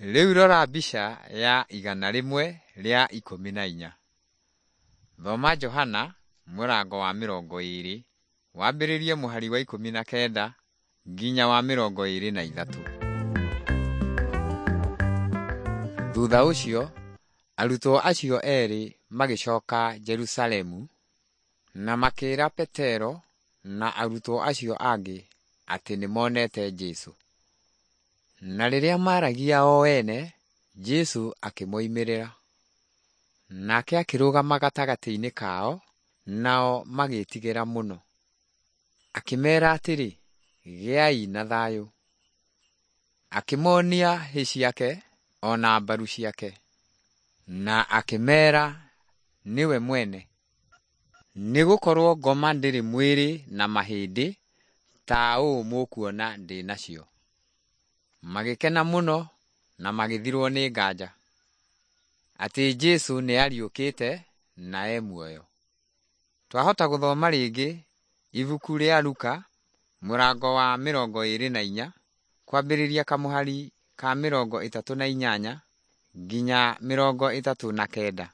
Rĩu rora mbica ya 114. Thoma Johana mũrango wa 20 wambĩrĩrie mũhari wa 19 nginya wa 23. Thutha ũcio arutwo acio erĩ magĩcoka Jerusalemu na makĩĩra Petero na arutwo acio angĩ atĩ nĩmonete Jesũ. Na rĩrĩa maaragia o ene, Jesũ akĩmoimĩrĩra. Nake akĩrũgama gatagatĩ-inĩ kao, nao magĩĩtigĩra mũno. Akĩmeera atĩrĩ, “Gĩai na thayũ.” Akĩmoonia hĩ ciake o na mbaru ciake, na akĩmeera nĩwe mwene. Nĩgũkorwo ngoma ndĩrĩ mwĩrĩ na mahĩndĩ ta ũũ mũkuona ndĩ nacio. Magĩkena mũno na magĩthirwo nĩ nganja atĩ Jesũ nĩariũkĩte na e muoyo. Twahota gũthoma rĩngĩ ibuku rĩa Luka mũrango wa 24 kwambĩrĩria kamũhari ka 38 nginya 39.